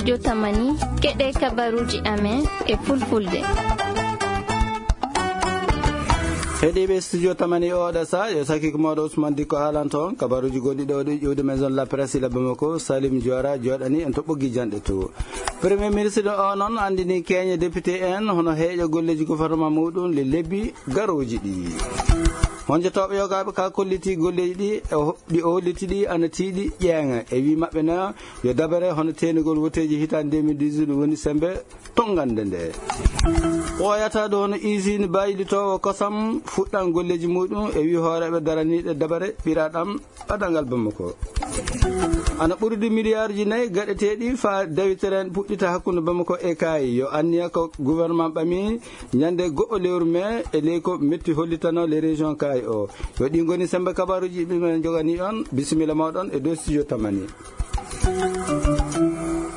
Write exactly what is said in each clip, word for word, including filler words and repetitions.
Jotamani, keɗe kabaruji amen e fulfulde. Heɗiɓe studio tamani oɗa sa, yo saki ko mawɗo Ousmane Dikko alanto on. Kabaruji gonɗi ɗo ɗi ƴuwde maison la presse ila Bamako, Salim Diora joɗani en to ɓoggi janɗe to. Premier ministre o noon andini keñe député en hono heeƴo golleji gouvernement muɗum le lebbi garoji ɗi. Honjotoɓe yogaɓe ka kolliti golleji ɗi e ho-, ɗi o holliti ɗi ana tiiɗi ƴeeŋa e wi maɓɓe na yo dabare hono teenugol woteji hitande deux mille dix-huit woni sembe tongande nde. Ɓooyata ɗo hono usine baylitowo kosam fuɗɗan golleji muɗum e wi hooreɓe daraniɗe dabare ɓiraɗam ɓadal ngal Bamako. Ana ɓurdi miliyarji nayi gaɗeteɗi fa dawiteren puɗɗita hakkunde Bamako e Kaayi. Yo anniya ko gouvernement ɓami ñande go'o lewru mai e ley ko metti hollitano les régions Kaayi o. Yo ɗi ngoni sembe kabaruji ɗi men jogani on. Bisimilla mawɗon e dow studio tamani.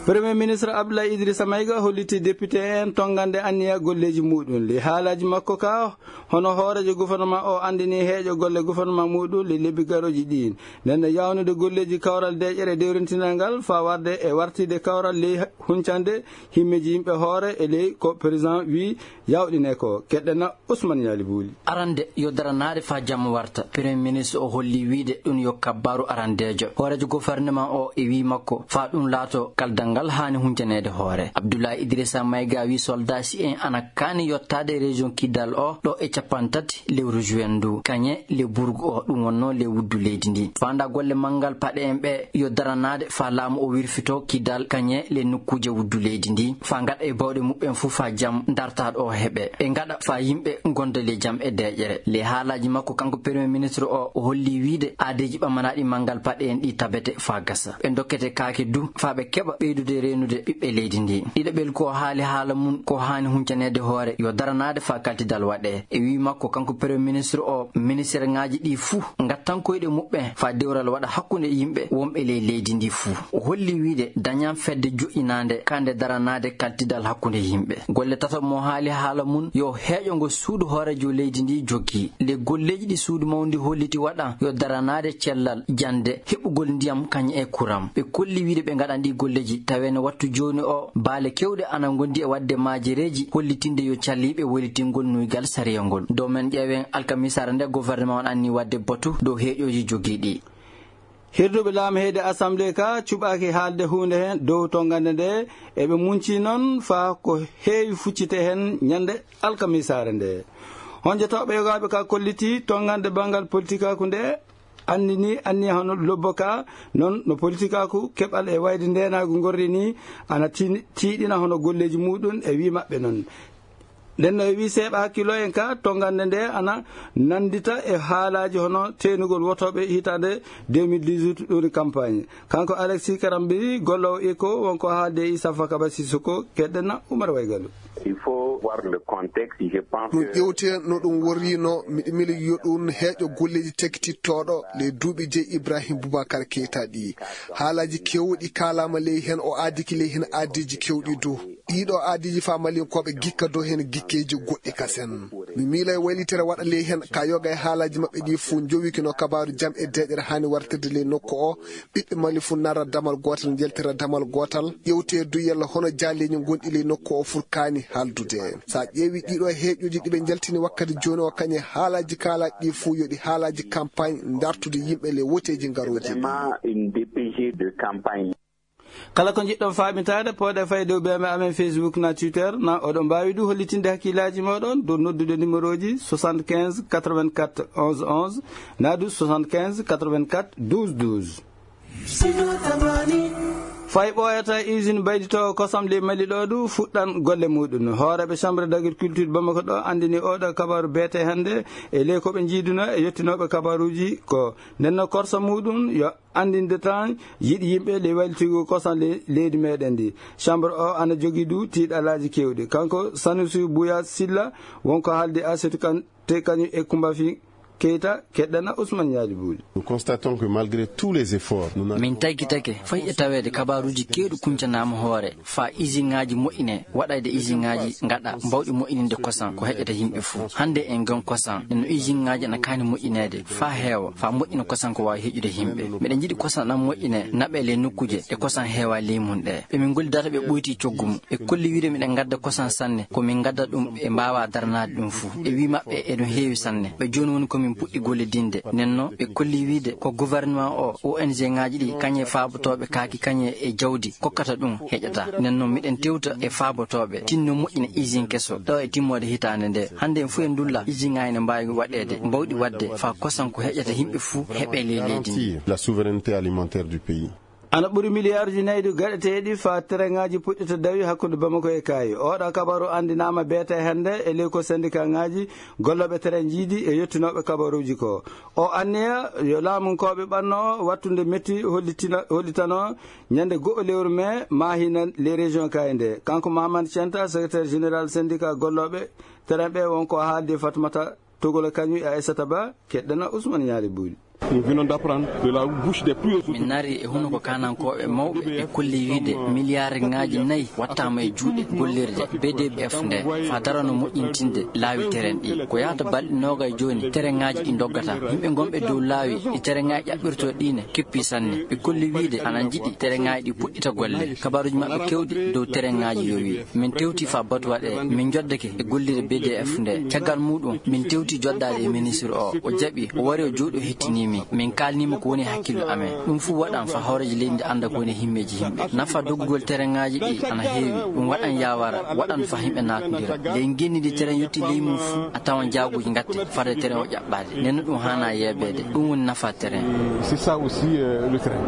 Premier ministre Abdoulaye Idrissa Maïga holliti député en tongande anniya golleji muɗum. Li haalaji makko ka, hono hoorejo gouvernement o andini heeƴo golle gouvernement muɗum li lebbi garoji ɗin. Nden no yawnude golleji kawral deƴƴere dewrintinal ngal fa warde e wartide kawral ley huncande himmeji yimɓe hoore e ley ko président wi yawɗine ko. Keɗɗena Ousmane Yali Bouli. Arande yo daranaade fa jam warta. Premier ministre o holli wiide ɗum yo kabbaru arandejo. Hoorejo gouvernement o e wi makko fa ɗum laato kaldal ngal haani huncaneede hoore. Abdoulaye Idrissa Maïga wi soldat si en ana kaani yottaade région Kidal o ɗo e capanɗe tati lewru juin ndu. Kañe le burgu o ɗum wonno le wuddu leydi ndi. Fanda golle manngal paɗe en ɓe yo daranaade fa laamu o wirfito Kidal kañe le nokkuuje wuddu leydi ndi. Fa ngaɗa e bawɗe muɓɓen fu fa jam dartaɗo o heɓe. Ɓe ngaɗa fa yimɓe gonda le jam e deƴƴere. Le haalaji makko kanko premier ministre o, o holli wiide aadeji ɓamanaɗi manngal paɗe en ɗi tabete fa gasa. Ɓe dokkete kaake du fa ɓe keɓa ɓeydude reenude ɓiɓɓe leydi ndi. Ɗiɗaɓel ko haali haala mum ko haani huncaneede hoore yo daranaade fa kaltidal waɗe. E wi makko kanko premier ministre o, ministère ngaji ɗi fuu ngattan koyɗe muɓɓen fa dewral waɗa hakkunde yimɓe wonɓe ley leydi ndi fuu. O holli wiide dañan fedde joƴƴinaande kande daranaade kaltidal hakkunde yimɓe. Golle tataɓe mo haali haala mum yo heeƴo ngo suudu hoorejo leydi ndi joggi. Le golleji ɗi suudu mawndi holliti waɗan yo daranaade cellal, jande, heɓugol ndiyam kañum e kuram. Ɓe kolli wiide ɓe ngaɗan ɗi golleji tawi no wattu jooni o baale kewɗe ana ngondi e waɗde maajereeji hollitinde yo calliiɓe waylitingol nuygal sariya ngol. Dow men ƴeewen alkamisaare nde gouvernement on anni waɗde batu dow heeƴooji jogiiɗi. Hirduɓe laamu heyde assemblée ka cuɓaaki haalde huunde heen dow tongande nde, eɓe munci noon faa ko heewi fuccite heen ñande alkamisaare nde. Honjotooɓe yogaaɓe ka kolliti tongande banngal politikaaku nde anndini anniya hono lobbo ka, noon no politikaaku keɓal e wayde ndeenaagu ngorri ni ana tin-, tiiɗina hono golleeji muɗum e wii maɓɓe noon. Nden no e wii seeɓa hakkillo en ka tongande nde ana nanndita e haalaaji hono teenugol wotooɓe hitaande deux mille dix-huit ɗum campagne. Kanko Alexis Karambiri, gollowo eko, wonko haalde e Issa Fakaba Sissoko, keɗɗen na Oumar Waygalu. Il faut voir le contexte, je pense ɗum que ƴewte no ɗum worrino, miɗo miili yo ɗum heeƴo golleeji tekkitittooɗo le duuɓi jeyi Ibrahim Boubacar Keita ɗi. Haalaaji keewɗi kaalaama ley heen, o aadiki ley heen aadiiji keewɗi du. Ɗiɗo aadiiji fa Malinkooɓe gikka dow heen gikkeeji goɗɗi kasen. Mi miila e waylitere waɗa ley heen ka yoga e haalaaji maɓɓe ɗi fuu njowikino kabaaru jam e deeƴere haani wartirde ley nokku o. Ɓiɓɓe Mali fuu nara damal gootal, njaltira damal gootal. Ƴewte du yalla hono jaaleeji gonɗi ley nokku o furkaani haaldude. Sa ƴeewi ɗiɗo heeƴuji ɗi ɓe njaltini wakkati jooni o, kañe haalaaji kaalaaɗi ɗi fuu yo ɗi haalaaji campagne dartude yimɓe ley woteeji ngarooji. Vraiment une D P G de campagne. Kala ko njiɗɗon faaɓintaade, pooɗe fay dow B M amen Facebook na Twitter, na oɗon mbaawi du hollitinde hakkillaaji mooɗon dow noddude numéroji soixante-quinze quatre-vingt-quatre onze onze, na du soixante-quinze quatre-vingt-quatre douze douze. Fay ɓooyata usine baylitoowo kosam ley Mali ɗo du fuɗɗan golle muɗum. Hooreeɓe Chambre d'agriculture Bamako ɗo anndini oɗo kabaaru beete hannde e ley ko ɓe njiiduno e yettinooɓe kabaaruji ko. Nden no korsa muɗum yo anndinde tan yiɗi yimɓe ley waylitigol kosam le-, leydi meɗen ndi. Chambre o ana jogii du tiiɗalaaji keewɗi. Kanko Sanusi Bouya Silla wonko haaldi Asetu Kan te kañum e Kumba Fi Keita, keɗɗana Ousmane Yadi Bouli. Nous constatons que malgré tous les efforts, nous n'avons Min taggitake fay e taweede kabaaruuji keewɗi kuncanaama hoore faa isinŋaaji moƴƴine, waɗayde isinŋaaji ngaɗa mbawɗi moƴƴininde kosan ko heƴata yimɓe fuu. Hannde en ngon kosan no isinŋaaji ana kaani moƴƴineede faa heewa, faa moƴƴina kosan ko waawi heƴude yimɓe. Miɗen njiɗi kosan ɗan moƴƴine, naɓe ley nokkuuje ɗe kosan heewa ley mun ɗe. Ɓe min gollidata ɓe ɓoyti coggu mum. Ɓe kolli wiide miɗen ngadda kosan sanne, ko min ngadda ɗum ɓe mbaawaa daranaade ɗum fuu. E wii maɓɓe eɗum heewi sanne. Ɓe jooni woni ko min puɗɗi gollidinde. Nden non ɓe kolli wiide ko gouvernement o, O N G ŋaaji ɗi, kañe faabotooɓe kaaki, kañe e jawdi kokkata ɗum heƴata. Nden non miɗen tewta e faabotooɓe, tinno moƴƴina usine keso ɗo e timmoode hitaande nde. Hannde en fuu en ndulla usine ŋaaji ne mbaawi waɗeede, mbawɗi waɗde, faa kosan ko heƴata yimɓe fuu heɓe ley leydi ndi. Garantir la souveraineté alimentaire du pays. Ana ɓuri miliyaarji nayi ɗi gaɗeteeɗi faa tereŋaaji puɗɗita dawi hakkunde Bamako e Kaayi. Oɗo kabaru anndinaama beete hannde e ley ko sendikaaŋaaji gollooɓe tereŋaaji e yottinooɓe kabaruuji ko. O anniya yo laamunkooɓe ɓanno wattunde metti hollitina-, hollitanoo ñande go'o lewru mee maahina ley région Kaayi nde. Kanko Mahamane Centa, secrétaire général syndicat gollooɓe tereŋaaji ɓe, won ko haaldi Fatmata Togola Kañu e Aissata Ba, keɗɗana Ousmane Ñaali Buuli. Nous venons d'apprendre de la bouche des plus hauts. Min nari e hunuko kaanankooɓe mawɓe e kolli wiide miliyaariŋaaji nayi wattaama e juuɗe gollirde B D F nde faa darano moƴƴintinde laawi tereŋaaji ɗi. Ko yahata balɗe noogay jooni tereŋaaji ɗi ndoggata. Yimɓe gonɓe dow laawi ɗi tereŋaaji ƴaɓɓirtoo ɗi ne keppi sanne. Ɓe kolli wiide ana njiɗi tereŋaaji ɗi puɗɗita golle. Kabaaruuji maɓɓe keewɗi dow tereŋaaji yowii. Min tewti faa batu waɗee, min njoddake e gollirde B D F nde. Caggal muuɗum, min tewti joddaade e ministre o. O jaɓi, o wari o jooɗi o hettinii min. Min kaalnii mo ko woni hakkillo amen. Ɗum fuu waɗan faa hooreejo leydi ndi annda ko woni himmeeji yimɓe. Nafa doggugol tereŋaaji ɗi ana heewi. Ɗum waɗan yaawara, waɗan faa yimɓe naatondira. Ley ngenndi ndi tereŋ yotti ley mum fuu, a tawan jaaguuji ngatte, fade tereŋ o ƴaɓɓaade. Nden no ɗum haanaa yeebeede. Ɗum woni nafa tereŋ. C'est ça aussi, euh, le train.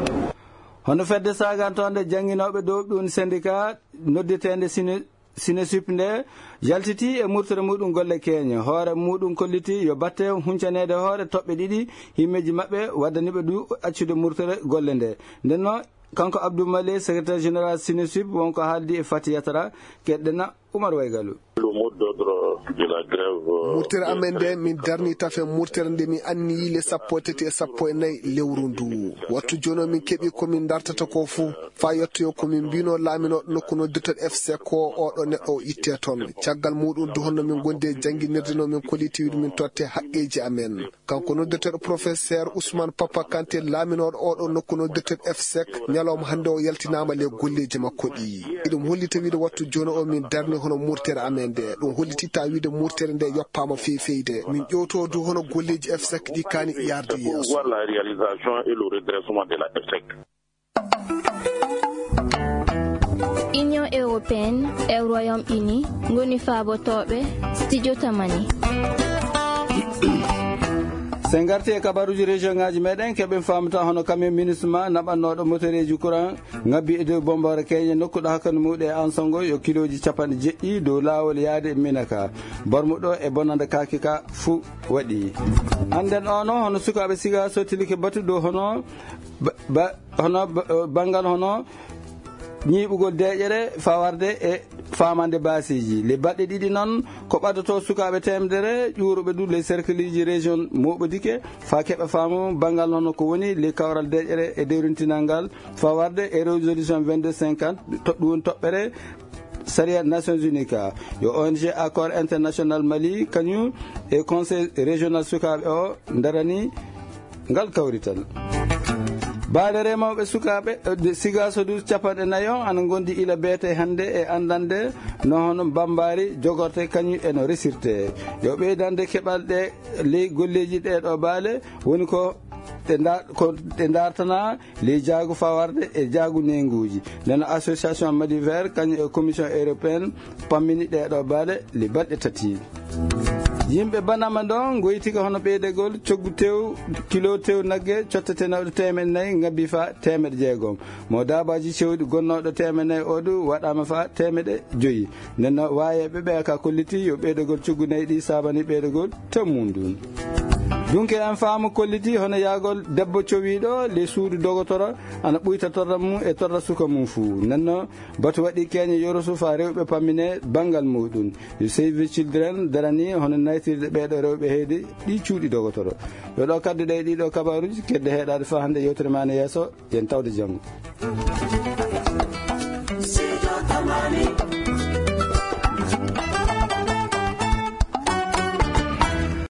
Hono fedde saagantoonde jannginooɓe dow ɗum syndicat noddeteende Sine-, Sinesup nde yaltiti e murtere muɗum golle keeñe. Hoore muɗum kolliti yo batte huncaneede hoore toɓɓe ɗiɗi himmeeji maɓɓe waddaniiɓe du accude murtere golle nde. Nden no kanko Abdou Male, secrétaire général Sinesup, wonko haaldi e Fati Yatara, keɗɗena Oumar Waygalu. Le mot d'ordre de la grève, euh, Murtere amen nde, min darni tafe murtere nde min anniyi le sappo e tati e sappo e nayi lewru ndu. Wattu jooni o min keɓi ko min dartata ko fuu, faa yettoyo ko min mbino laaminooɗo nokku noddirteeɗo F C ko oɗo neɗɗo o itte toon. Caggal muɗum du honno min gondi e jannginirde no min kolliti wiide min totte haqqeeji amen. Kanko noddirteeɗo professeur Ousmane Papa Kanté, laaminooɗo oɗo nokku noddirteeɗo F C, ñalawma hannde o yaltinaama le golleeji makko ɗi. Eɗum hollita wiide wattu jooni o min darni hono murtere amen nde. Ɗum hollititta wiide murtere nde yoppaama feefeyde. Min ƴewto du hono golleeji F C ɗi kaani yarde yeeso. Voir la réalisation et le redressement de la F C. Union européenne e Royaume Uni ngoni faabotooɓe Studio Tamani. Sen ngarti e kabaruuji région ngaaji meɗen, keɓen faamata hono camion MINUSMA naɓannooɗo motoreeji courant ngabbi e dow bomboore keeñe nokkuɗo hakkunde muuɗum e Ansongo yo kilooji capanɗe jeɗɗi dow laawol yaade e Minaka. Bormuɗo e bonande kaake ka fuu waɗi. Annden ono hono sukaaɓe siga sottilike batu dow hono ba-, ba-, hono ba-, banngal hono ñiiɓugol deeƴere fawarde e faamande baasiiji. Le baɗɗe ɗiɗi noon, ko ɓaddoto sukaaɓe teemedere ƴuuruɓe du le cercleji région moɓodike, faa keɓa faamu banngal hono ko woni le kawral deeƴere e dewrintinal ngal fawarde e résolution vingt-deux cinquante, to-, ɗum woni toɓɓere sariya Nations Unies ka. Yo O N G Accord International Mali, kañum e Conseil Régional Sukaaɓe o darani ngal kawrital. Baale remooɓe sukaaɓe, eh, de Sigasodu capanɗe nayi on ana ngondi ila beete hannde e anndande no hono mbambaari jogorte kañum e no resirte. Yo ɓeydande keɓal ɗe ley golleeji ɗee ɗoo baale woni ko ɗe nda-, ko ɗe ndartana ley jaagu fawarde e jaagu neenguuji. Nden association Mali Vert kañum e commission européenne pammini ɗee ɗoo baale le balɗe tati. Yimɓe Banama ɗon ngoytika hono ɓeydegol coggu tew, kilo tew nagge cottetenooɗo teemeɗɗe nayi ngabbi faa teemeɗɗe jeegom. Mo daabaaji cewɗi gonnooɗo teemeɗɗe nayi o du waɗaama faa teemeɗɗe joyi. Nden no waayeeɓe ɓe ka kolliti yo ɓeydegol coggu nayi ɗi saabani ɓeydegol tew mum ndun. Dunke en faamu kolliti hono yaagol debbo cowiiɗo ley suudu dogotoro ana ɓuyta torra mum e torra suka mum fuu. Nenno batu waɗi keñe yorosu faa rewɓe pammine banngal muuɗum. Save the Children darani hono naytirde ɓeeɗo rewɓe heyde ɗi cuuɗi dogotoro. Yo ɗo kaddu ɗe ɗiɗo kabaruuji kedde heɗaade faa hannde yewtere ma ne yeeso, yen tawde janngo.